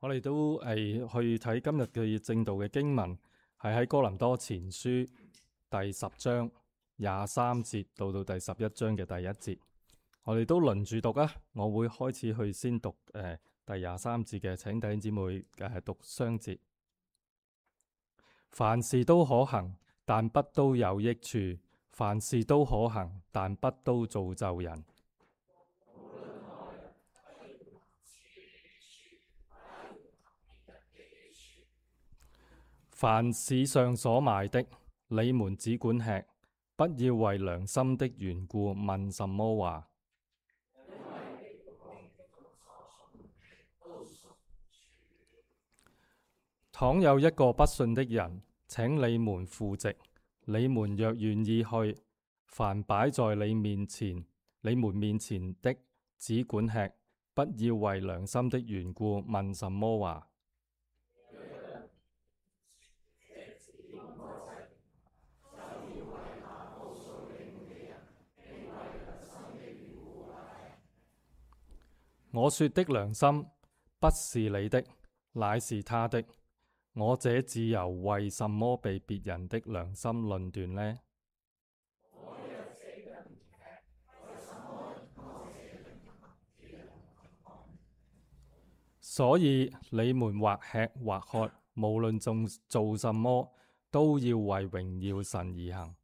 我哋都去睇今日嘅正道嘅經文，係喺哥林多前書第10章23節到第11章嘅第1節。我哋都輪住讀啊！我會開始去先讀第23節嘅，請弟兄姊妹讀雙節。凡事都可行，但不都有益處；凡事都可行，但不都造就人。凡市上所賣的，你們只管吃，不要為良心的緣故問什麼話。倘有一個不信的人請你們赴席，你們若願意去，凡擺在你們面前的，只管吃，不要為良心的緣故問什麼話。我說的良心不是你的，乃是他的。我這自由為什麼被別人的良心論斷呢？所以你們或吃或喝，無論做什麼，都要為榮耀神而行。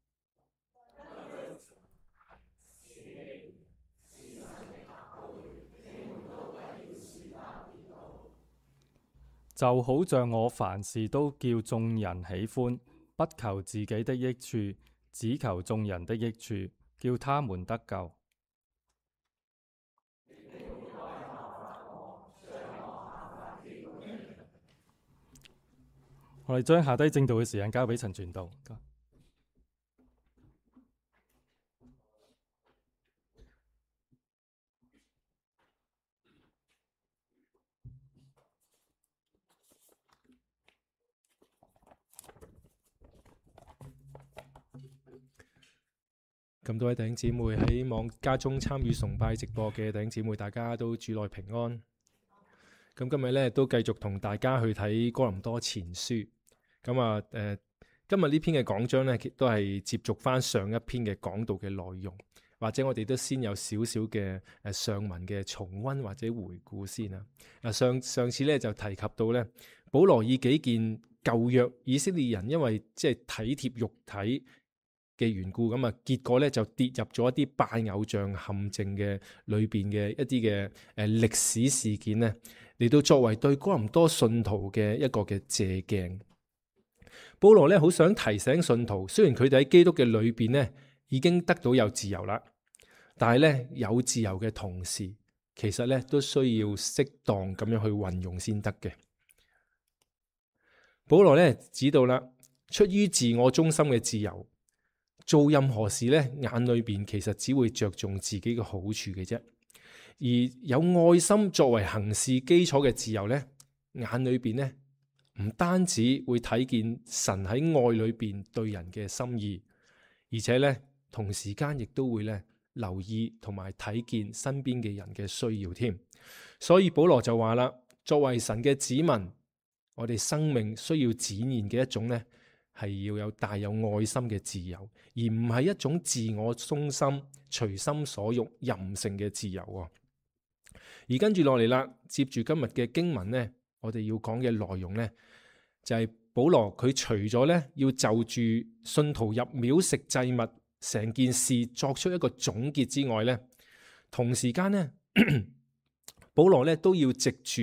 就好像我凡事都叫眾人喜歡，不求自己的益處，只求眾人的益處，叫他們得救。我哋將下低正道嘅時間交俾陳傳道。咁多位弟兄姊妹喺家中參與崇拜直播嘅弟兄姊妹，大家都主內平安。咁今日咧都繼續同大家去睇哥林多前書。咁啊，今日呢篇嘅講章咧，都係接續翻上一篇嘅講道嘅內容，或者我哋都先有少少嘅上文嘅重溫或者回顧先啊。上次咧就提及到咧，保羅以幾件舊約以色列人因為即係體貼肉體嘅緣故，咁啊結果咧就跌入咗一啲拜偶像陷阱嘅裏邊嘅一啲嘅歷史事件咧，嚟到作為對哥林多信徒嘅一個嘅借鏡。保羅咧好想提醒信徒，雖然佢哋喺基督嘅裏邊咧已經得到有自由啦，但係咧有自由嘅同時，其實咧都需要適當咁樣去運用先得嘅。保羅咧指到啦，出於自我中心嘅自由，做任何事咧，眼裏邊其實只會着重自己嘅好處嘅啫。而有愛心作為行事基礎嘅自由咧，眼裏邊咧唔單止會睇見神喺愛裏邊對人嘅心意，而且咧同時間亦都會咧留意同埋睇見身邊嘅人嘅需要添。所以保羅就話啦，作為神嘅子民，我哋生命需要展現嘅一種咧，係要有帶有愛心嘅自由，而唔係一種自我中心、隨心所欲、任性嘅自由。而跟住落嚟啦，接住今日嘅經文呢，我哋要講嘅內容呢，就係保羅佢除咗呢要就住信徒入廟食祭物成件事作出一個總結之外呢，同時間呢，保羅呢都要藉住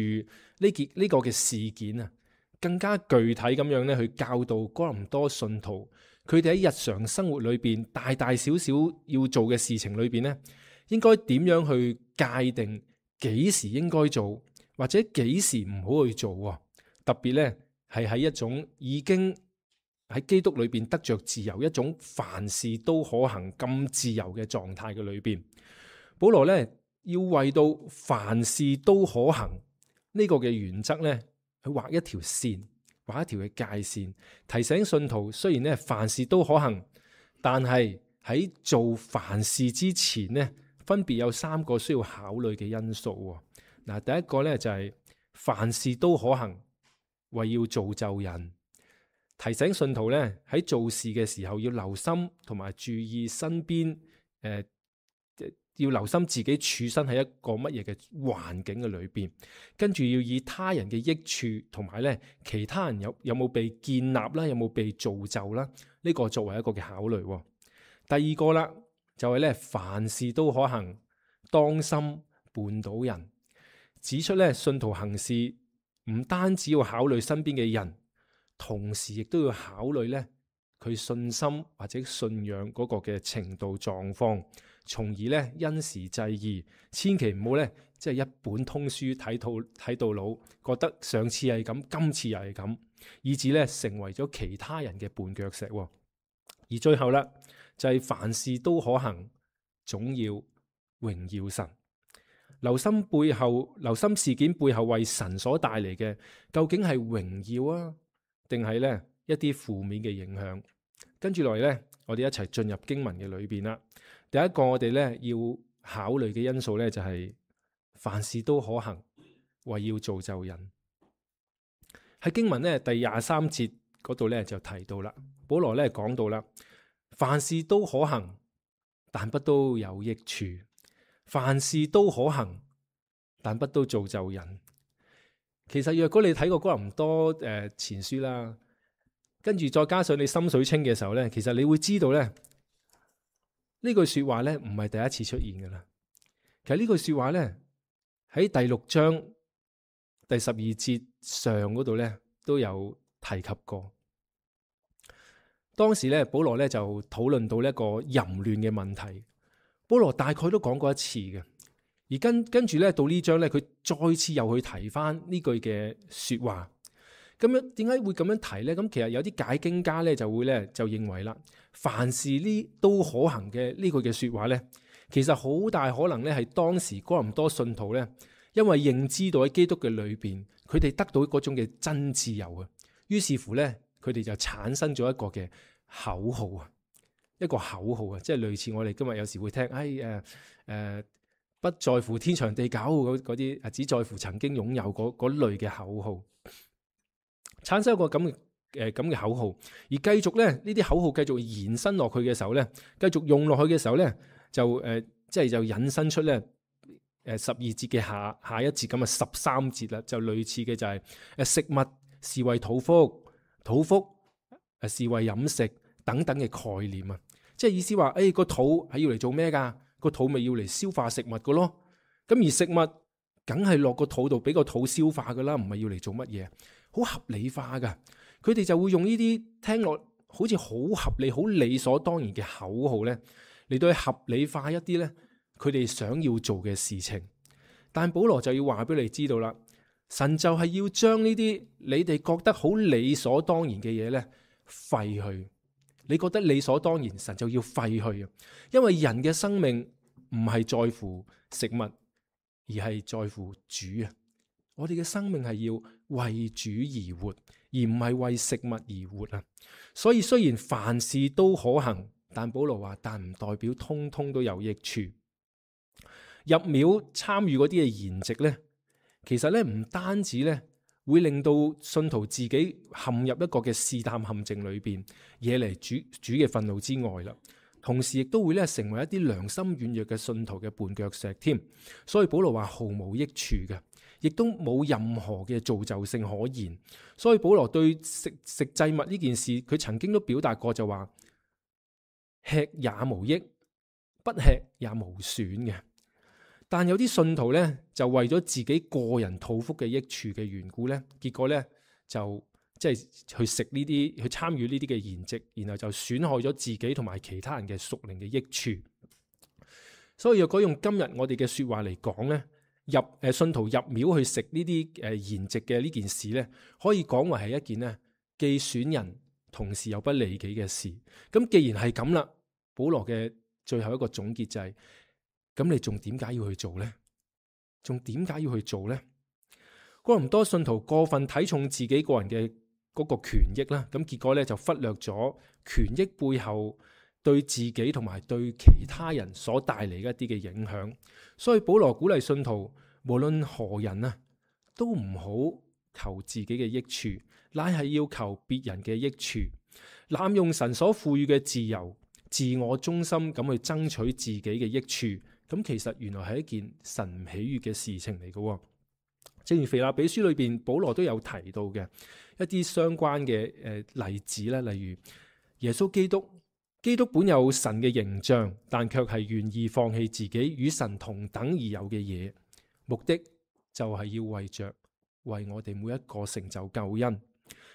呢個嘅事件啊，更加具體咁樣咧，去教導哥林多信徒，佢哋喺日常生活裏邊大大小小要做嘅事情裏邊咧，應該點樣去界定幾時應該做，或者幾時唔好去做。特別咧係喺一種已經喺基督裏邊得着自由，一種凡事都可行咁自由嘅狀態嘅裏邊，保羅咧要為到凡事都可行呢個嘅原則咧，去畫一條線，畫一條嘅界線，提醒信徒，雖然咧凡事都可行，但係喺做凡事之前咧，分別有3個需要考慮嘅因素。嗱，第一個咧就係凡事都可行，為要造就人。提醒信徒咧喺做事嘅時候要留心同埋注意身邊要留心自己處身喺一個乜嘢嘅環境嘅裏邊，跟住要以他人嘅益處同埋咧其他人有冇被建立啦，有冇被造就啦，呢個作為一個嘅考慮。第二個啦，就係咧凡事都可行，當心絆倒人。指出咧信徒行事唔單止要考慮身邊嘅人，同時亦都要考慮咧佢信心或者信仰嗰個嘅程度狀況，從而咧因時制宜，千祈唔好咧即係一本通書睇到老，覺得上次係咁，今次又係咁，以致咧成為咗其他人嘅絆腳石。而最後啦，就係凡事都可行，總要榮耀神。留心事件背後為神所帶嚟嘅，究竟係榮耀啊，定係咧一啲負面嘅影響？跟住落嚟咧，我哋一齊進入經文嘅裏邊啦。第一個我哋咧要考慮嘅因素咧就係凡事都可行，為要造就人。喺經文咧第23節嗰度咧就提到啦，保羅咧講到啦，凡事都可行，但不都有益處。凡事都可行，但不都造就人。其實若果你睇過哥林多前書啦，跟住再加上你心水清嘅時候咧，其實你會知道咧呢句說話咧唔係第一次出現噶啦。其實呢句說話咧喺第6章第12節上嗰度咧都有提及過。當時咧保羅咧就討論到一個淫亂嘅問題。保羅大概都講過一次嘅，而跟住咧到呢章咧，佢再次又去提翻呢句嘅說話。咁樣點解會咁樣提咧？咁其實有啲解經家咧就認為啦，凡事呢都可行嘅呢句嘅說話咧，其實好大可能咧係當時哥林多信徒咧，因為認知到喺基督嘅裏邊，佢哋得到嗰種嘅真自由啊，於是乎咧，佢哋就產生咗一個嘅口號啊。一個口號啊，即係類似我哋今日有時會聽，不在乎天長地久嗰啲，只在乎曾經擁有嗰類嘅口號，產生一個咁嘅口號，而繼續咧呢啲口號繼續延伸落去嘅時候咧，繼續用落去嘅時候咧，就引申出咧12節嘅下一節咁嘅13節啦，就類似嘅就係食物是為肚腹，肚腹是為飲食。等等嘅概念啊，即係意思話，個肚係要嚟做咩噶？個肚咪要嚟消化食物噶咯。咁而食物梗係落個肚度俾個肚消化噶啦，唔係要嚟做乜嘢？好合理化噶。佢哋就會用呢啲聽落好似好合理、好理所當然嘅口號咧，嚟到去合理化一啲咧佢哋想要做嘅事情。但保羅就要話俾你知道啦，神就係要將呢啲你哋覺得好理所當然嘅嘢咧廢去。你覺得理所當然，神就要廢去啊！因為人嘅生命唔係在乎食物，而係在乎主啊！我哋嘅生命係要為主而活，而唔係為食物而活啊！所以雖然凡事都可行，但保羅話，但唔代表通通都有益處。入廟參與嗰啲嘅筵席咧，其實咧唔單止咧，會令到信徒自己陷入一個嘅試探陷阱裏邊，惹嚟主嘅憤怒之外啦。同時亦都會咧成為一啲良心軟弱嘅信徒嘅絆腳石添。所以保羅話毫無益處嘅，亦都冇任何嘅造就性可言。所以保羅對食祭物呢件事，佢曾經都表達過就話：吃也無益，不吃也無損嘅。但有啲信徒咧，就為咗自己個人肚腹嘅益處嘅緣故咧，結果咧就即係去食呢啲，去參與呢啲嘅筵席，然後就損害咗自己同埋其他人嘅屬靈嘅益處。所以若果用今日我哋嘅說話嚟講咧，信徒入廟去食呢啲筵席嘅呢件事咧，可以講為係一件咧既損人同時又不利己嘅事。咁既然係咁啦，保羅嘅最後一個總結就係：咁你仲點解要去做呢？仲點解要去做呢？哥林多信徒過分睇重自己個人嘅嗰個權益啦，咁結果咧就忽略咗權益背後對自己同埋對其他人所帶嚟一啲嘅影響。所以保羅鼓勵信徒，無論何人啊，都唔好求自己嘅益處，乃係要求別人嘅益處。濫用神所賦予嘅自由，自我中心咁去爭取自己嘅益處，咁其實原來係一件神唔喜悅嘅事情嚟嘅。正如腓立比書裏邊保羅都有提到嘅一啲相關嘅例子咧，例如耶穌基督本有神嘅形象，但卻係願意放棄自己與神同等而有嘅嘢，目的就係要為我哋每一個成就救恩。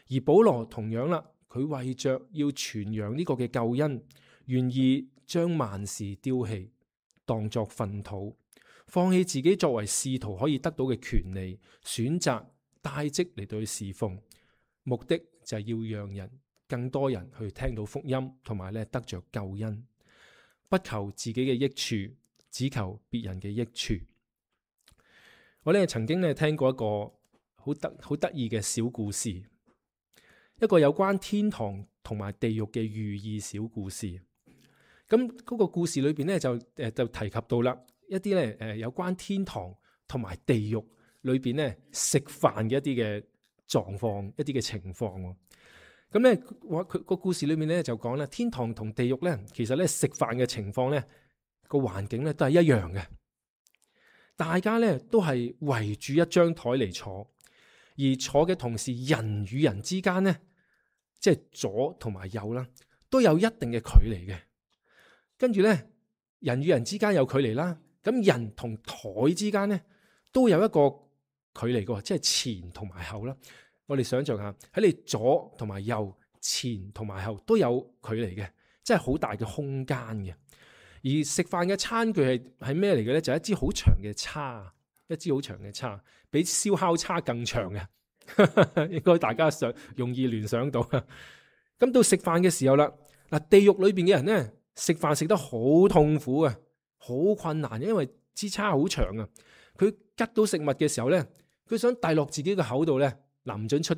而保羅同樣啦，佢為着要傳揚呢個嘅救恩，願意將萬事丟棄，當作糞土，放棄自己作為使徒可以得到嘅權利，選擇帶職嚟到去侍奉，目的就係要讓更多人去聽到福音，同埋咧得着救恩，不求自己嘅益處，只求別人嘅益處。我咧曾經咧聽過一個好得意嘅小故事，一個有關天堂同埋地獄嘅寓意小故事。咁嗰個故事裏邊咧就提及到啦，一啲咧有關天堂同埋地獄裏邊咧食飯嘅一啲嘅狀況，一啲嘅情況。咁咧，佢個故事裏面咧就講啦，天堂同地獄咧，其實咧食飯嘅情況咧個環境咧都係一樣嘅，大家咧都係圍住一張台嚟坐，而坐嘅同時，人與人之間咧，即係左同埋右啦，都有一定嘅距離嘅。跟住咧，人與人之間有距離啦，咁人同台之間咧都有一個距離嘅，即係前同埋後啦。我哋想象下，喺你左同埋右、前同埋後都有距離嘅，即係好大嘅空間嘅。而食飯嘅餐具係咩嚟嘅咧？就係一支好長嘅叉，一支好長嘅叉，比燒烤叉更長嘅，應該大家容易聯想到。咁到食飯嘅時候啦，嗱，地獄裏邊嘅人咧食飯食得好痛苦啊，好困難，因為支叉好長啊。佢吉到食物嘅時候咧，佢想遞落自己嘅口度咧。唔准出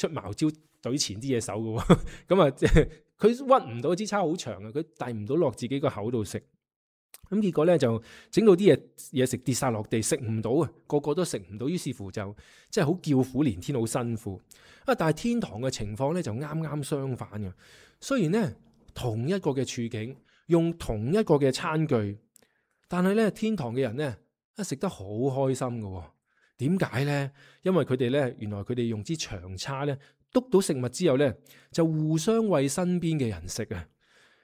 茅招懟前啲嘢手嘅，咁啊，佢屈唔到支叉好長啊，佢遞唔到落自己個口度食，咁結果咧就整到啲嘢食跌晒落地，食唔到啊，個個都食唔到，於是乎就即係好叫苦連天，好辛苦啊！但係天堂嘅情況咧就啱啱相反嘅，雖然咧同一個嘅處境，用同一個嘅餐具，但係咧天堂嘅人咧食得好開心嘅。點解咧？因為佢哋咧，原來佢哋用支長叉咧，篤到食物之後咧，就互相餵身邊嘅人食啊。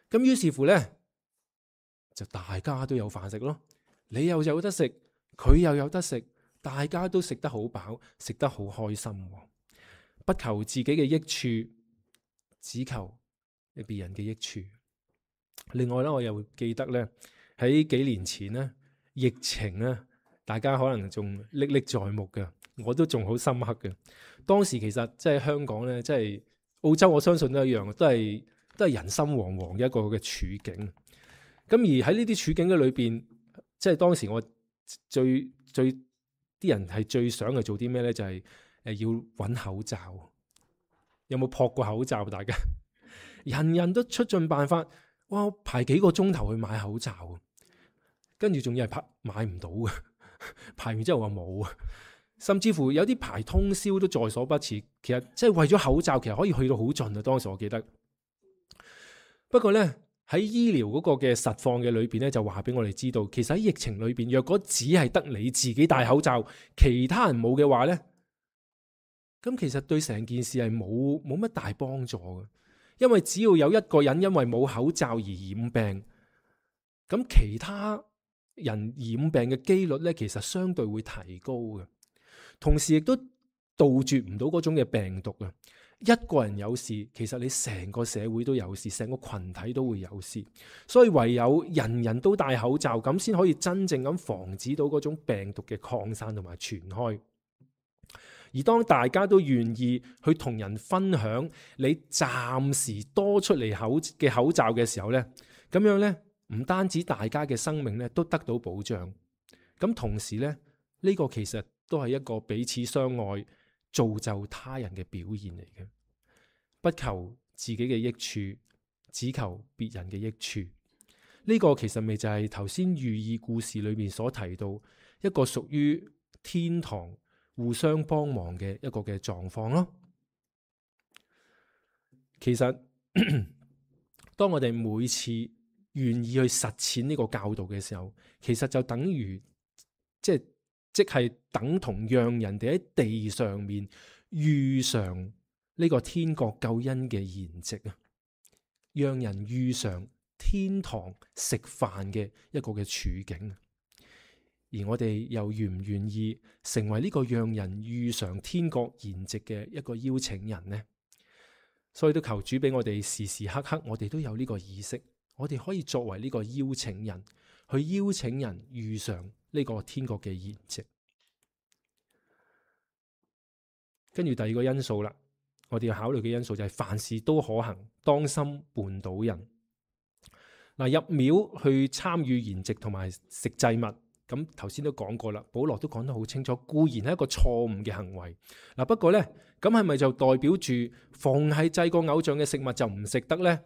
咁於是乎咧，就大家都有飯食咯。你又有得食，佢又有得食，大家都食得好飽，食得好開心。不求自己嘅益處，只求別人嘅益處。另外咧，我又記得咧，喺幾年前咧，疫情咧。大家可能仲歷歷在目嘅，我都仲好深刻嘅。當時其實即係香港咧，即係澳洲，我相信都一樣，都係人心惶惶嘅一個嘅處境。咁而喺呢啲處境嘅裏邊，即係當時我最啲人係最想係做啲咩咧？就係要揾口罩。有冇撲過口罩？大家人人都出盡辦法，哇！排幾個鐘頭去買口罩，跟住仲要係買唔到嘅。排完之後話冇，甚至乎有啲排通宵都在所不辭。其實即係為咗口罩，其實可以去到好盡啊。當時我記得，不過咧喺醫療嗰個嘅實況嘅裏邊咧，就話俾我哋知道，其實喺疫情裏邊，若果只係得你自己戴口罩，其他人冇嘅話咧，咁其實對成件事係冇乜大幫助嘅。因為只要有一個人因為冇口罩而染病，咁其他人染病嘅機率咧，其實相對會提高嘅，同時亦都杜絕唔到嗰種嘅病毒啊！一個人有事，其實你成個社會都有事，成個群體都會有事，所以唯有人人都戴口罩，咁先可以真正咁防止到嗰種病毒嘅擴散同埋傳開。而當大家都願意去同人分享你暫時多出嚟口罩嘅時候咧，咁樣咧。唔單止大家嘅生命咧都得到保障，咁同時咧呢個其實都係一個彼此相愛、造就他人嘅表現嚟嘅。不求自己嘅益處，只求別人嘅益處。呢個其實咪就係頭先寓意故事裏面所提到一個屬於天堂互相幫忙嘅一個嘅狀況咯。其實當我哋每次願意去實踐呢個教導嘅時候，其實就等於即係等同讓人哋喺地上面遇上呢個天國救恩嘅筵席啊，讓人遇上天堂食飯嘅一個嘅處境。而我哋又願唔願意成為呢個讓人遇上天國筵席嘅一個邀請人呢？所以都求主俾我哋時時刻刻，我哋都有呢個意識，我哋可以作為呢個邀請人，去邀請人遇上呢個天國嘅筵席。跟住第二個因素啦，我哋要考慮嘅因素就係凡事都可行，當心絆倒人。嗱，入廟去參與筵席同埋食祭物，咁頭先都講過啦，保羅都講得好清楚，固然係一個錯誤嘅行為。嗱，不過呢，咁係咪就代表住逢係祭過偶像嘅食物就唔食得呢？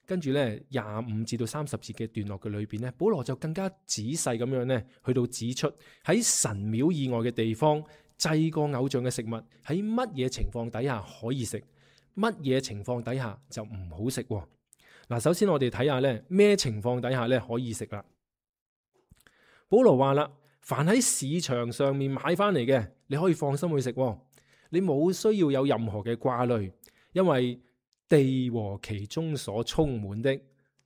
跟住呢25至到30節嘅段落嘅裏邊呢，保羅就更加仔細咁樣呢，去到指出喺神廟以外嘅地方祭過偶像嘅食物喺乜嘢情況底下可以食，乜嘢情況底下就唔好食。嗱，首先我哋睇下呢咩情況底下呢可以食啦。保羅話啦，凡喺市場上面買翻嚟嘅，你可以放心去食，你冇需要有任何嘅掛慮，因為地和其中所充滿的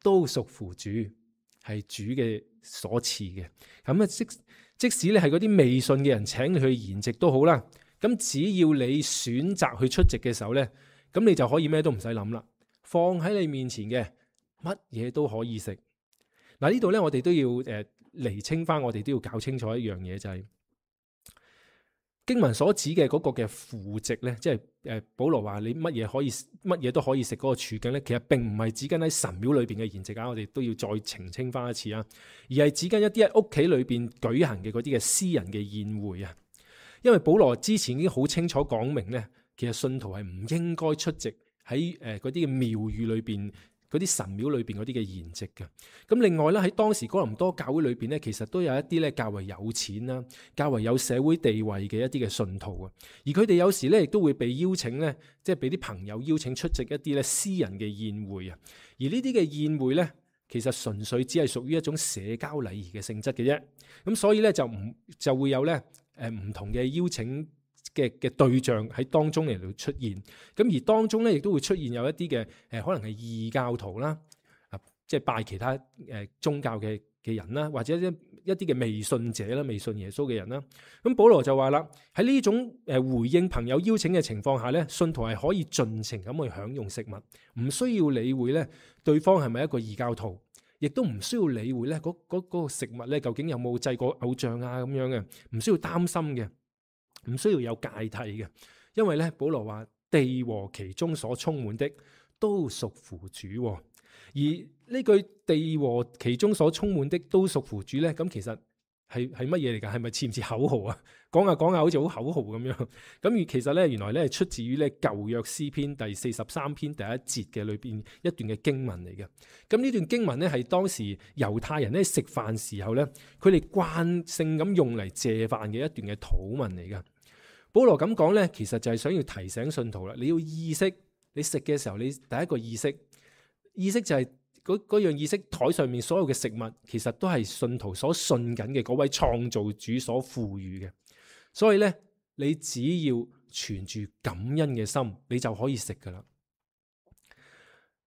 都屬乎主，係主嘅所賜嘅。咁啊，即使你係嗰啲未信嘅人請你去筵席都好啦，咁只要你選擇去出席嘅時候呢，咁你就可以咩都唔使諗啦，放喺你面前嘅乜嘢都可以食。嗱，呢度呢，我哋都要釐清翻，我哋都要搞清楚一樣嘢，就係經文所指嘅嗰個嘅父席呢，即係保羅話你乜嘢都可以食嗰個處境呢，其實並唔係指緊喺神廟裏邊嘅筵席啊，我哋都要再澄清翻一次啊，而係指緊一啲喺屋企裏邊舉行嘅嗰啲嘅私人嘅宴會啊。因為保羅之前已經好清楚講明呢，其實信徒係唔應該出席喺嗰啲嘅廟宇裏邊，嗰啲神廟裏邊嗰啲嘅筵席嘅。咁另外咧，喺當時哥林多教會裏邊咧，其實都有一啲咧較為有錢啦、較為有社會地位嘅一啲嘅信徒啊。而佢哋有時咧亦都會被邀請咧，即係俾啲朋友邀請出席一啲咧私人嘅宴會啊。而呢啲嘅宴會咧，其實純粹只係屬於一種社交禮儀嘅性質嘅啫。咁所以咧就會有咧唔同嘅邀請嘅對象喺當中嚟到出現，咁而當中咧亦都會出現有一啲嘅可能係異教徒啦，即係拜其他宗教嘅人啦，或者一啲嘅未信者啦，未信耶穌嘅人啦。咁保羅就話啦，喺呢種回應朋友邀請嘅情況下咧，信徒係可以盡情咁去享用食物，唔需要理會咧對方係咪一個異教徒，亦都唔需要理會咧嗰個食物咧究竟有冇祭過偶像啊咁樣嘅，唔需要擔心嘅。唔需要有芥蒂嘅，因為咧保羅話地和其中所充滿的都屬乎主，而呢句地和其中所充滿的都屬乎主咧，咁其實係乜嘢嚟㗎？係咪似唔似口號啊？講下講下好似好口號咁樣。咁而其實咧原來咧係出自於咧舊約詩篇第43篇第1節嘅裏邊一段嘅經文嚟嘅。咁呢段經文咧係當時猶太人咧食飯時候咧，佢哋慣性咁用嚟謝飯嘅一段嘅禱文嚟嘅。保羅咁講咧，其實就係想要提醒信徒啦，你要意識你食嘅時候，你第一個意識就係嗰樣意識，台上面所有嘅食物其實都係信徒所信緊嘅嗰位創造主所賦予嘅。所以咧，你只要存住感恩嘅心，你就可以食噶啦。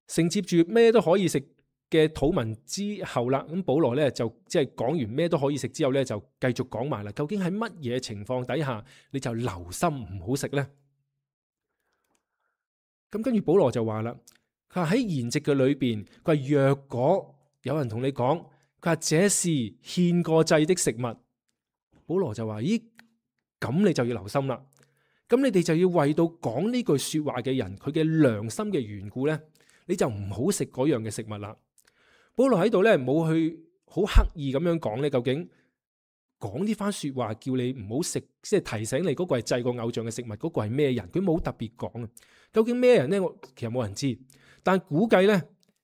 承接住咩都可以食嘅禱文之後啦，咁保羅咧就即係講完咩都可以食之後咧，就繼續講埋啦。究竟喺乜嘢情況底下你就留心唔好食呢？咁跟住保羅就話啦，佢話喺筵席嘅裏邊，佢話若果有人同你講，佢話這是獻過祭的食物，保羅就話：咦，咁你就要留心啦。咁你哋就要為到講呢句說話嘅人，佢嘅良心嘅緣故咧，你就唔好食嗰樣嘅食物啦。保羅喺度咧冇去好刻意咁樣講咧，究竟講呢番說話叫你唔好食，即係提醒你嗰個係祭過偶像嘅食物，嗰個係咩人？佢冇特別講啊。究竟咩人咧？我其實冇人知，但估計咧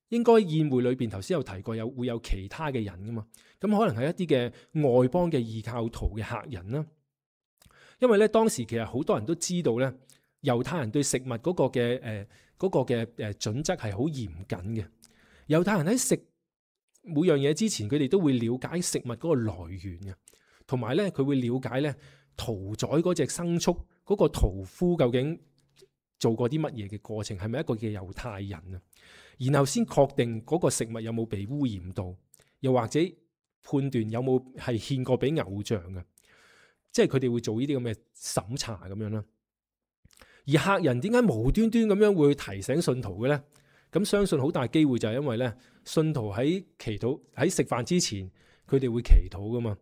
應該宴會裏邊頭先有提過會有其他嘅人噶嘛。咁可能係一啲嘅外邦嘅異教徒嘅客人啦。因為咧當時其實好多人都知道咧，猶太人對食物嗰個嘅準則係好嚴謹嘅。猶太人喺食每樣嘢之前，佢哋都會了解食物嗰個來源嘅，同埋咧佢會了解咧屠宰嗰隻牲畜嗰個屠夫究竟做過啲乜嘢嘅過程，係咪一個嘅猶太人啊？然後先確定嗰個食物有冇被污染到，又或者判斷有冇係獻過俾偶像嘅，即係佢哋會做呢啲咁嘅審查咁樣啦。而客人點解無端端咁樣會提醒信徒嘅咧？咁相信好大機會就係因為咧，信徒喺祈禱喺食飯之前，佢哋會祈禱噶嘛。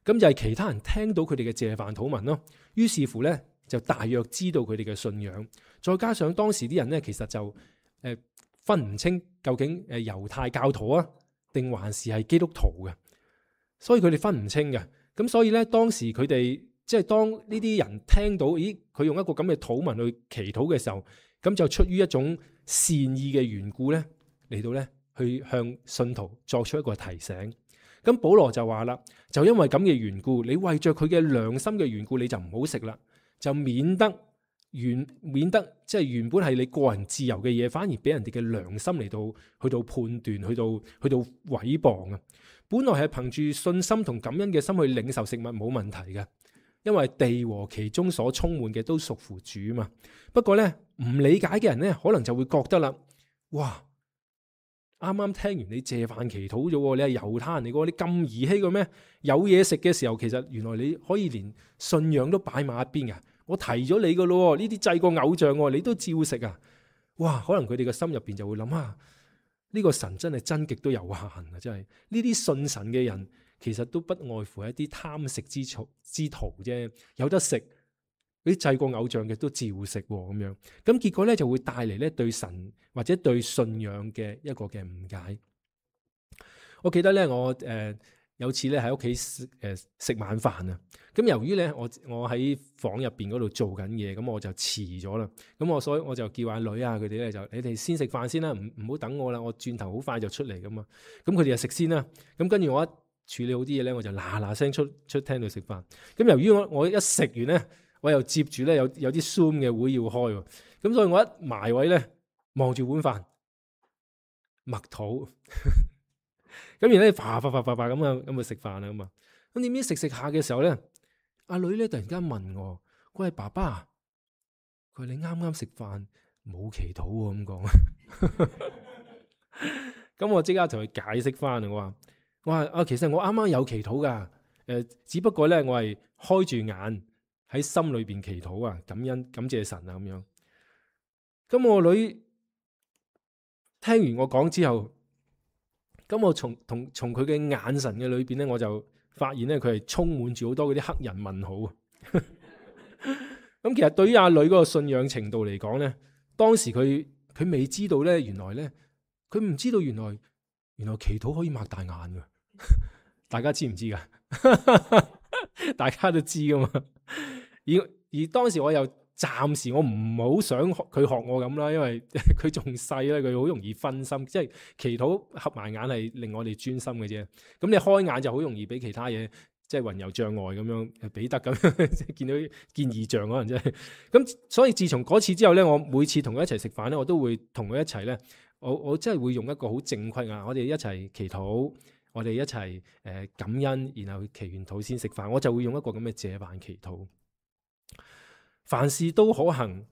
咁就係其他人聽到佢哋嘅謝飯禱文咯。於是乎咧，就大約知道佢哋嘅信仰。再加上當時啲人咧，其實就分唔清究竟猶太教徒啊，定還是係基督徒嘅，所以佢哋分唔清嘅。咁所以咧，當時佢哋即係當呢啲人聽到，咦，佢用一個咁嘅禱文去祈禱嘅時候，咁就出於一種善意嘅緣故咧，嚟到咧去向信徒作出一個提醒。咁保羅就話啦，就因為咁嘅緣故，你為着佢嘅良心嘅緣故，你就唔好食啦，就免得即係原本係你個人自由嘅嘢，反而俾人哋嘅良心嚟到去到判斷，去到毀謗啊！本來係憑住信心同感恩嘅心去領受食物冇問題嘅，因為地和其中所充滿嘅都屬乎主嘛。不過咧，唔理解嘅人咧，可能就會覺得啦，哇！啱啱聽完你謝飯祈禱咗，你係猶太人嚟嘅，你咁兒戲嘅咩？有嘢食嘅時候，其實原來你可以連信仰都擺埋一邊嘅。我提咗你嘅咯，呢啲祭過偶像，你都照食啊！哇，可能佢哋嘅心入邊就會諗啊，呢個神真係真極都有限啊！真係呢啲信神嘅人，其實都不外乎係一啲貪食之徒啫，有得食。啲祭過偶像嘅都照食咁樣，咁結果咧就會帶嚟咧對神或者對信仰嘅一個嘅誤解。我記得咧，我有次咧喺屋企食晚飯啊，咁由於咧我喺房入邊嗰度做緊嘢，咁我就遲咗啦。咁所以我就叫阿女啊佢哋咧就你哋先食飯先啦，唔好等我啦，我轉頭好快就出嚟噶嘛。咁佢哋就食先啦。咁跟住我一處理好啲嘢咧，我就嗱聲出廳度食飯。咁由於我一食完咧，我又接住咧有啲 Zoom 嘅會要開，咁所以我一埋位咧望住碗飯默禱，咁然後咧啪咁去食飯啦咁啊。咁點知食下嘅時候咧，阿女咧突然間問我：佢係爸爸，佢話你啱啱食飯冇祈禱喎咁講。咁我即刻同佢解釋翻，我話啊，其實我啱啱有祈禱噶，只不過咧我係開住眼。喺心裏邊祈禱啊，感謝神啊咁樣。咁我女聽完我講之後，咁我從佢嘅眼神嘅裏邊咧，我就發現咧佢係充滿住好多嗰啲黑人問號。咁其實對於阿女嗰個信仰程度嚟講咧，當時佢未知道咧，原來咧佢唔知道原來祈禱可以擘大眼噶。大家知唔知噶？大家都知噶嘛。而當時我又暫時我唔好想佢學我咁啦，因為佢仲細咧，佢好容易分心。即係祈禱合埋眼係令我哋專心嘅啫。咁你開眼就好容易俾其他嘢，即係魂遊障礙咁樣，彼得咁樣見異象可能真係。咁所以自從嗰次之後咧，我每次同佢一齊食飯咧，我都會同佢一齊咧，我真係會用一個好正規啊，我哋一齊祈禱，我哋一齊感恩，然後祈完禱先食飯。我就會用一個咁嘅謝飯祈禱。凡事都可行，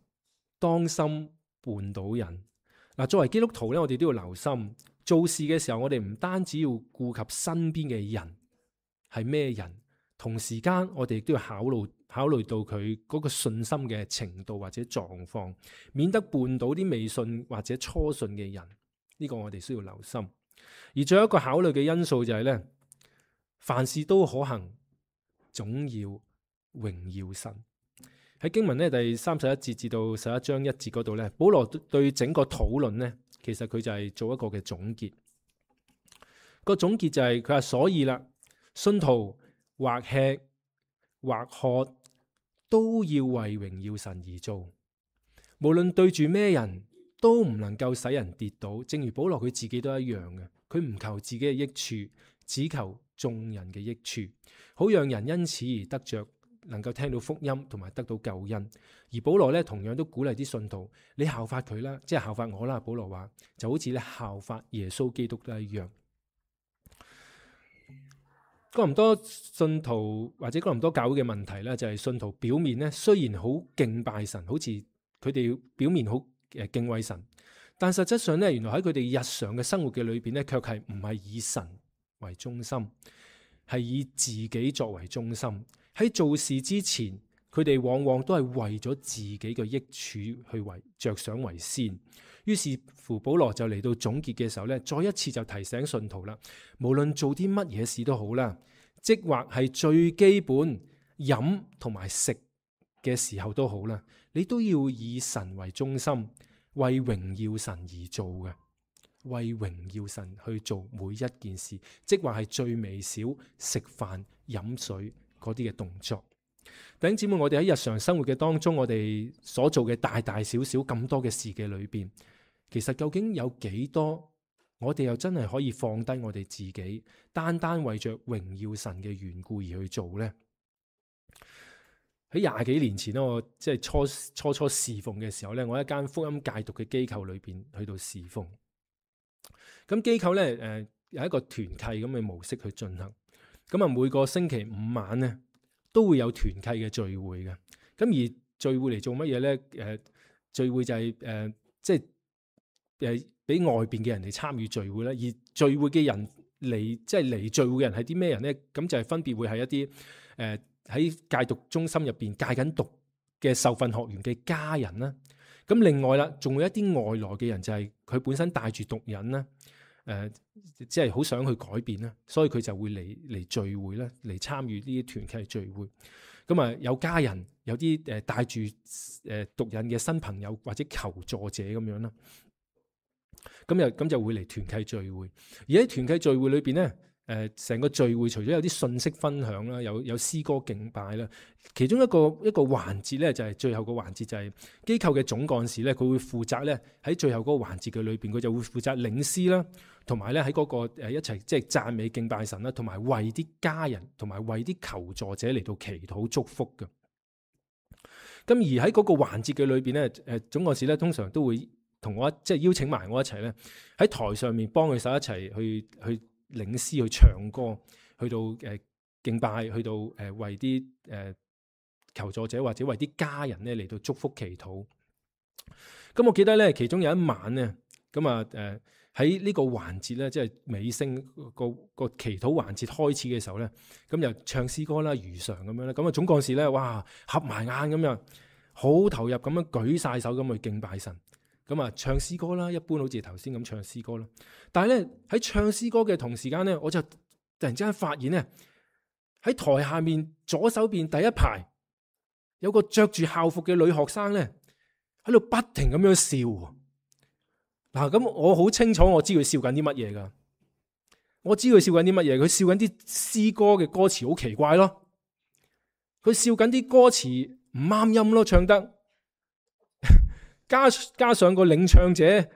當心絆倒人。嗱，作為基督徒咧，我哋都要留心做事嘅時候，我哋唔單止要顧及身邊嘅人係咩人，同時間我哋亦都要考慮到佢嗰個信心嘅程度或者狀況，免得絆倒啲未信或者初信嘅人。呢個我哋需要留心。而最後一個考慮嘅因素就係咧，凡事都可行，總要榮耀神。喺經文咧第31節至到11章1節嗰度咧，保羅對整個討論咧，其實佢就係做一個嘅總結。個總結就係佢話，所以啦，信徒或吃或喝都要為榮耀神而做，無論對住咩人都唔能夠使人跌倒。正如保羅佢自己都一樣嘅，佢唔求自己嘅益處，只求眾人嘅益處，好讓人因此而得着能夠聽到福音同埋得到救恩。而保羅咧同樣都鼓勵啲信徒，你效法佢啦，即係效法我啦。保羅話就好似咧效法耶穌基督都一樣。哥林多信徒或者哥林多教會嘅問題咧，就係信徒表面咧雖然好敬拜神，好似佢哋表面好敬畏神，但實質上咧，原來喺佢哋日常嘅生活嘅裏邊咧，卻係唔係以神為中心，係以自己作為中心。喺做事之前，佢哋往往都係為咗自己嘅益處去着想為先。於是乎，保羅就嚟到總結嘅時候咧，再一次就提醒信徒啦，無論做啲乜嘢事都好啦，即或係最基本飲同埋食嘅時候都好啦，你都要以神為中心，為榮耀神而做嘅，為榮耀神去做每一件事，即或係最微小食飯飲水嗰啲嘅動作。弟兄姊妹，我哋喺日常生活嘅當中，我哋所做嘅大大小小咁多嘅事嘅裏邊，其實究竟有幾多我哋又真係可以放低我哋自己，單單為着榮耀神嘅緣故而去做呢？喺20幾年前咧，我即係初侍奉嘅時候咧，我喺一間福音戒毒嘅機構裏邊去到侍奉。咁機構咧有一個團契咁嘅模式去進行。咁啊每個星期5晚咧都會有團契嘅聚會嘅。咁而聚會嚟做乜嘢咧？聚會就係即係俾外邊嘅人嚟參與聚會啦。而聚會嘅人嚟聚會嘅人係啲咩人咧？咁就係分別會係一啲喺戒毒中心入邊戒緊毒嘅受訓學員嘅家人啦。咁另外啦，仲有一啲外來嘅人，就係佢本身帶住毒癮啦，即係好想去改變啦，所以佢就會嚟聚會啦，嚟參與呢啲團契聚會。咁啊，有家人，有啲帶住毒癮嘅新朋友或者求助者咁樣啦。咁就會嚟團契聚會。而喺團契聚會裏邊咧，成個聚會除咗有啲信息分享啦，有詩歌敬拜啦，其中一個環節咧，就係最後個環節，就係機構嘅總幹事咧，佢會負責咧喺最後嗰個環節嘅裏邊，佢就會負責領詩啦，同埋咧喺嗰個一齊即係讚美敬拜神啦，同埋為啲家人同埋為啲求助者嚟到祈禱祝福嘅。咁而喺嗰個環節嘅裏邊咧，總幹事咧通常都會同我即係邀請埋我一齊咧喺台上面幫佢手一齊去領詩去唱歌，去到敬拜，去到為啲求助者或者為啲家人咧嚟到祝福祈禱。咁我記得咧，其中有一晚咧，咁啊喺呢個環節咧，即係尾聲個祈禱環節開始嘅時候咧，咁又唱詩歌啦，如常咁樣咧。咁啊總幹事咧，哇合埋眼咁樣，好投入咁樣舉晒手咁去敬拜神。咁啊，唱詩歌啦，一般好似頭先咁唱詩歌啦。但係咧喺唱詩歌嘅同時間咧，我就突然之間發現咧，喺台下面左手邊第一排有個着住校服嘅女學生咧，喺度不停咁樣笑。嗱，咁我好清楚，我知佢笑緊啲乜嘢噶。我知佢笑緊啲乜嘢，佢笑緊啲詩歌嘅歌詞好奇怪咯。佢笑緊啲歌詞唔啱音咯，唱得。加上個領唱者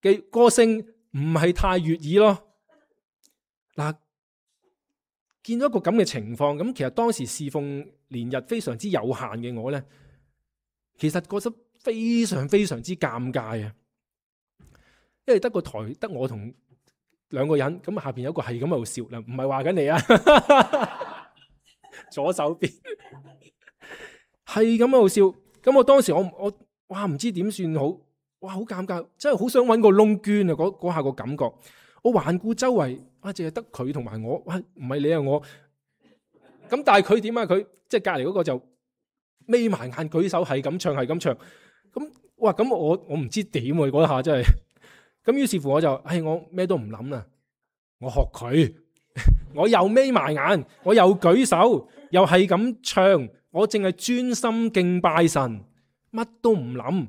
嘅歌聲唔係太悅耳咯。嗱，見到一個咁嘅情況，咁其實當時侍奉年日非常之有限嘅我咧，其實覺得非常非常之尷尬啊！因為得個台得我同2個人，咁下邊有一個係咁喺度笑啦，唔係話緊你啊，左手邊係咁喺度笑，咁我當時我哇唔知點算好，哇好尷尬，真係好想搵個窿捐啊！嗰下個感覺，我環顧周圍，啊淨係得佢同埋我，哇唔係你啊我，咁但係佢點啊？佢即係隔籬嗰個就眯埋眼舉手係咁唱係咁唱，咁哇咁我唔知點喎嗰下真係，咁於是乎我就我咩都唔諗啦，我學佢，我又眯埋眼，我又舉手，又係咁唱，我淨係專心敬拜神。乜都唔諗，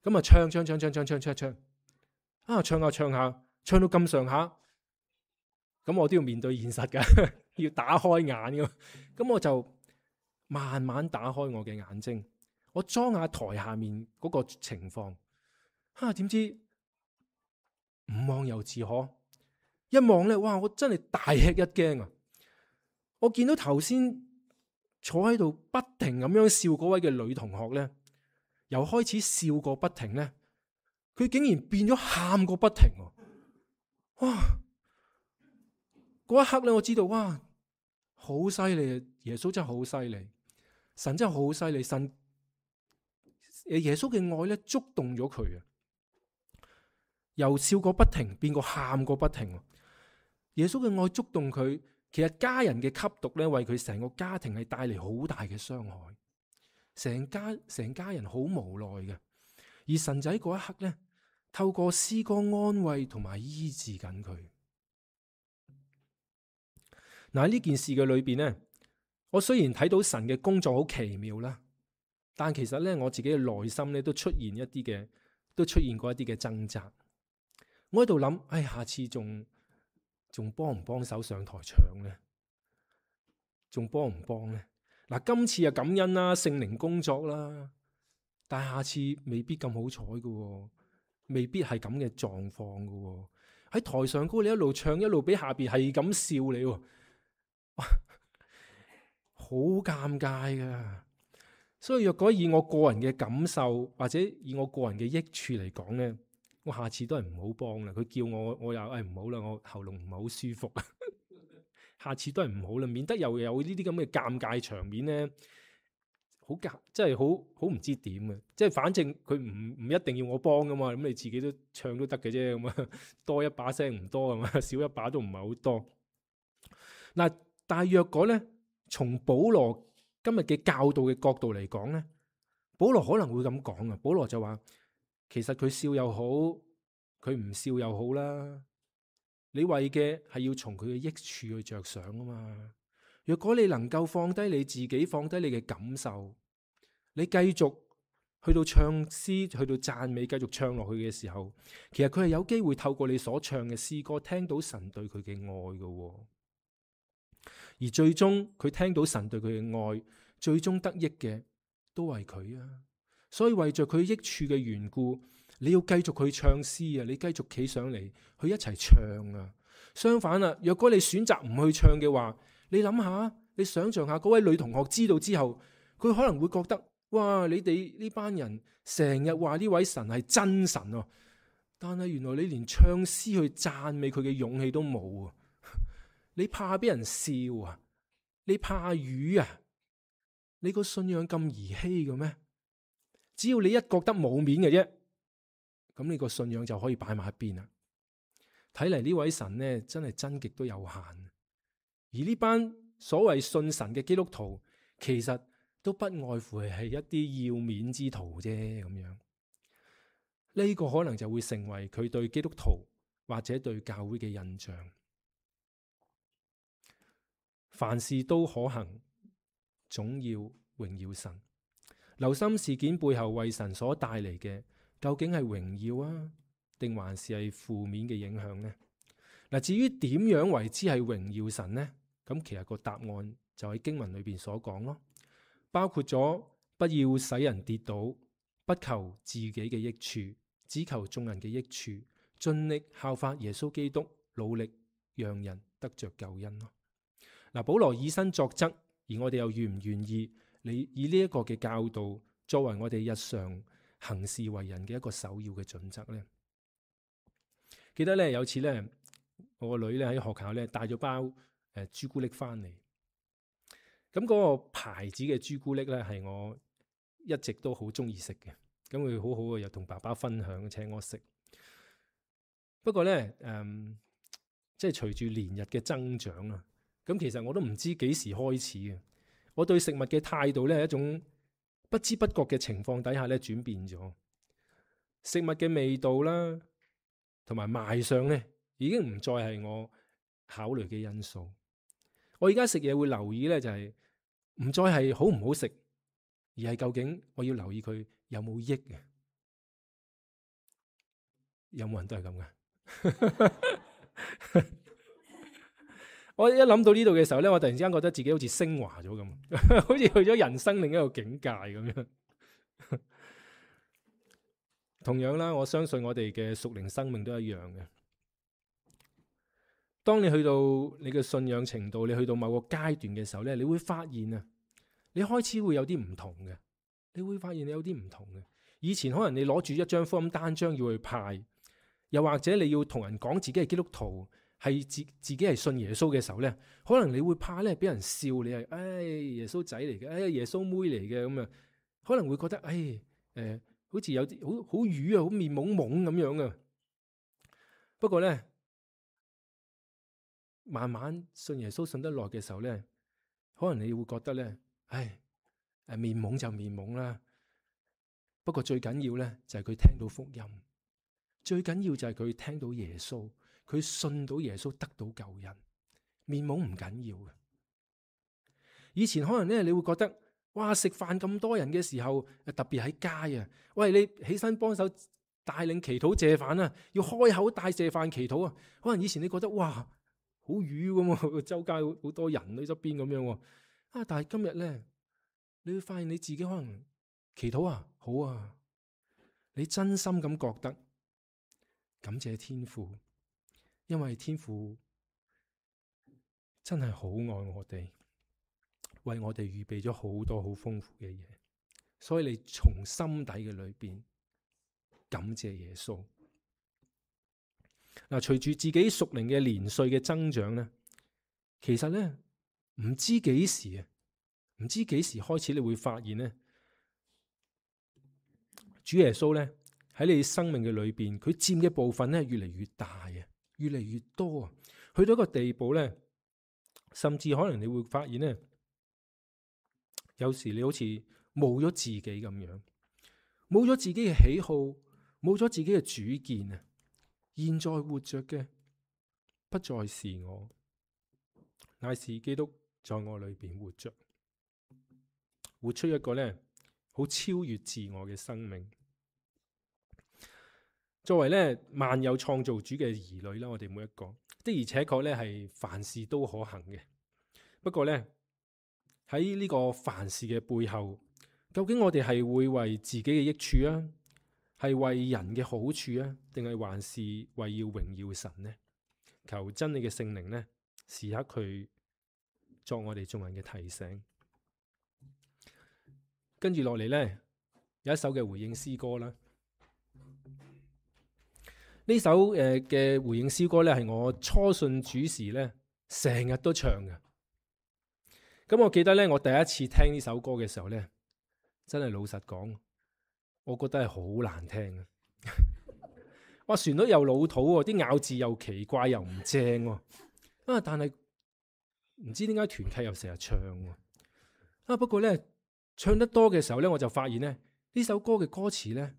咁啊唱，啊唱下唱到咁上下，咁我都要面對現實㗎，要打開眼㗎，咁我就慢慢打開我嘅眼睛，我裝下台下面嗰個情況，點知唔望又自可，一望咧，哇！我真係大吃一驚啊！我見到頭先坐喺度不停咁樣笑嗰位嘅女同學咧，由開始笑個不停咧，佢竟然變咗喊個不停喎！哇！嗰一刻咧，我知道哇，好犀利啊！耶穌真係好犀利，神真係好犀利，神耶穌嘅愛咧觸動咗佢啊，由笑個不停變個喊個不停。耶穌嘅愛觸動佢，其實家人嘅吸毒咧，為佢成個家庭係帶嚟好大嘅傷害，成家人好無奈嘅。而神仔嗰一刻咧，透過詩歌安慰同埋醫治緊佢。嗱，喺呢件事嘅裏邊咧，我雖然睇到神嘅工作好奇妙啦，但其實咧我自己嘅內心咧都出現過一啲嘅掙扎。我喺度諗，下次仲幫唔幫手上台唱咧？仲幫唔幫咧？嗱，今次啊感恩啦，聖靈工作啦，但係下次未必咁好彩㗎，未必係咁嘅狀況㗎。喺台上高你一路唱一路俾下邊係咁笑你，好尷尬噶。所以若果以我個人嘅感受或者以我個人嘅益處嚟講咧，我下次都係唔好幫啦。佢叫我又唔好啦，我喉嚨唔係好舒服啊。下次都係唔好啦，免得又有呢啲咁嘅尷尬場面咧，真係好唔知點啊！即係反正佢唔一定要我幫噶嘛，咁你自己都唱都得嘅啫，咁啊多一把聲唔多係嘛，少一把都唔係好多。嗱，但係若果咧，從保羅今日嘅教導嘅角度嚟講咧，保羅可能會咁講啊。保羅就話，其實佢笑又好，佢唔笑又好啦。你為嘅係要從佢嘅益處去着想啊嘛。若果你能夠放低你自己，放低你嘅感受，你繼續去到唱詩，去到讚美，繼續唱落去嘅時候，其實佢係有機會透過你所唱嘅詩歌，聽到神對佢嘅愛嘅。而最終佢聽到神對佢嘅愛，最終得益嘅都係佢啊。所以為着佢益處嘅緣故，你要繼續去唱詩啊！你繼續企上嚟去一齊唱啊！相反啊，若果你選擇唔去唱嘅話，你諗下，你想象下嗰位女同學知道之後，佢可能會覺得，哇！你哋呢班人成日話呢位神係真神啊，但係原來你連唱詩去讚美佢嘅勇氣都冇啊！你怕俾人笑啊？你怕魚啊？你個信仰咁兒戲嘅咩？只要你一覺得冇面嘅啫，咁你個信仰就可以擺埋一邊啦。睇嚟呢位神呢，真係真極都有限。而呢班所謂信神嘅基督徒，其實都不外乎係一啲要面之徒啫。咁樣呢個可能就會成為佢對基督徒或者對教會嘅印象。凡事都可行，總要榮耀神。留心事件背後為神所帶嚟嘅，究竟係榮耀啊，定還是係負面嘅影響呢？嗱，至於點樣為之係榮耀神呢？咁其實個答案就喺經文裏邊所講咯，包括咗不要使人跌倒，不求自己嘅益處，只求眾人嘅益處，盡力效法耶穌基督，努力讓人得着救恩咯。嗱，保羅以身作則，而我哋又願唔願意你以呢一個嘅教導作為我哋日常行事為人嘅一個首要嘅準則呢？記得咧有次咧，我個女咧喺學校咧帶咗包朱古力翻嚟，咁嗰個牌子嘅朱古力咧係我一直都好中意食嘅，咁佢好好嘅又同爸爸分享，請我食。不過咧即係隨住年日嘅增長啊，咁其實我都唔知幾時開始嘅。我對食物嘅態度咧係一種不知不覺嘅情況底下咧轉變咗，食物嘅味道啦，同埋賣相咧已經唔再係我考慮嘅因素。我而家食嘢會留意咧就係唔再係好唔好食，而係究竟我要留意佢有冇益嘅。有冇人都係咁嘅？我一諗到呢度嘅時候咧，我突然之間覺得自己好似升華咗咁，好似去咗人生另一個境界咁樣。同樣啦，我相信我哋嘅屬靈生命都一樣嘅。當你去到你嘅信仰程度，你去到某個階段嘅時候咧，你會發現啊，你開始會有啲唔同嘅，你會發現你有啲唔同嘅。以前可能你攞住一張福音單張要去派，又或者你要同人講自己係基督徒，係自己係信耶穌嘅時候咧，可能你會怕咧俾人笑你係，耶穌仔嚟嘅，耶穌妹嚟嘅咁啊，可能會覺得好似有啲好瘀啊，好面懵懵咁樣啊。不過咧，慢慢信耶穌信得耐嘅時候咧，可能你會覺得咧，面懵就面懵啦。不過最緊要咧就係佢聽到福音，最緊要就係佢聽到耶穌，佢信到耶穌得到救恩。面懵唔緊要嘅。以前可能咧你會覺得，哇，食飯咁多人嘅時候，特別喺街啊，喂，你起身幫手帶領祈禱謝飯啊，要開口帶謝飯祈禱啊。可能以前你覺得哇，好瘀咁啊，周街好多人喺側邊咁樣啊。但係今日咧，你會發現你自己可能祈禱啊，好啊，你真心咁覺得感謝天父，因為天父真係好愛我哋，為我哋預備咗好多好豐富嘅嘢，所以你從心底嘅裏邊感謝耶穌。嗱，隨住自己屬靈嘅年歲嘅增長咧，其實咧唔知幾時開始你會發現咧，主耶穌咧喺你生命嘅裏邊，佢佔嘅部分咧越嚟越大啊，越嚟越多啊，去到一個地步咧，甚至可能你會發現咧，有時你好似冇咗自己咁樣，冇咗自己嘅喜好，冇咗自己嘅主見啊。現在活着嘅不再是我，乃是基督在我裏邊活着，活出一個咧好超越自我嘅生命。作為咧萬有創造主嘅兒女啦，我哋每一個的而且確咧係凡事都可行嘅。不過咧喺呢個凡事嘅背後，究竟我哋係會為自己嘅益處啊，係為人嘅好處啊，定係還是為要榮耀神呢？求真理嘅聖靈呢，時刻去作我哋眾人嘅提醒。跟住落嚟呢，有一首嘅回應詩歌啦。呢首嘅回應詩歌呢，係我初信主時呢成日都唱嘅。咁我記得呢，我第一次聽呢首歌嘅時候呢，真係老實講，我覺得係好難聽啊！哇，旋律又老土喎，啲咬字又奇怪又唔正喎。但係唔知點解團契又成日唱喎。不過呢，唱得多嘅時候呢，我就發現呢，呢首歌嘅歌詞呢，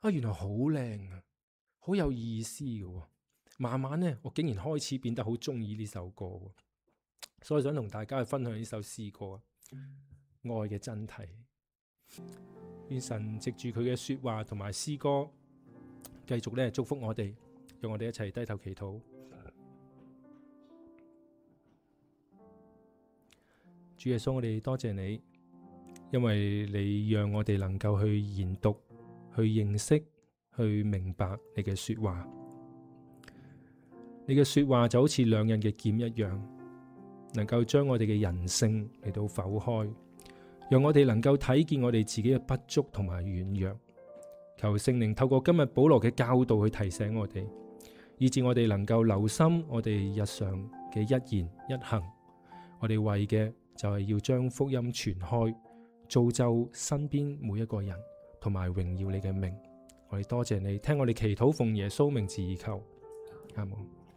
原來好靚啊，好有意思嘅。慢慢呢，我竟然開始變得好中意呢首歌，所以想同大家去分享呢首詩歌，愛嘅真諦。願神藉住佢嘅說話同埋詩歌，繼續咧祝福我哋，讓我哋一齊低頭祈禱。主耶穌，我哋多謝你，因為你讓我哋能夠去研讀、去認識、去明白你嘅說話。你嘅說話就好似兩刃嘅劍一樣，能夠將我哋嘅人性嚟到剖開，讓我哋能夠睇見我哋自己嘅不足同埋軟弱。求聖靈透過今日保羅嘅教導去提醒我哋，以致我哋能夠留心我哋日常嘅一言一行。我哋為嘅就係要將福音傳開，造就身邊每一個人，同埋榮耀你嘅名。我哋多謝你，聽我哋祈禱，奉耶穌名字而求，阿門。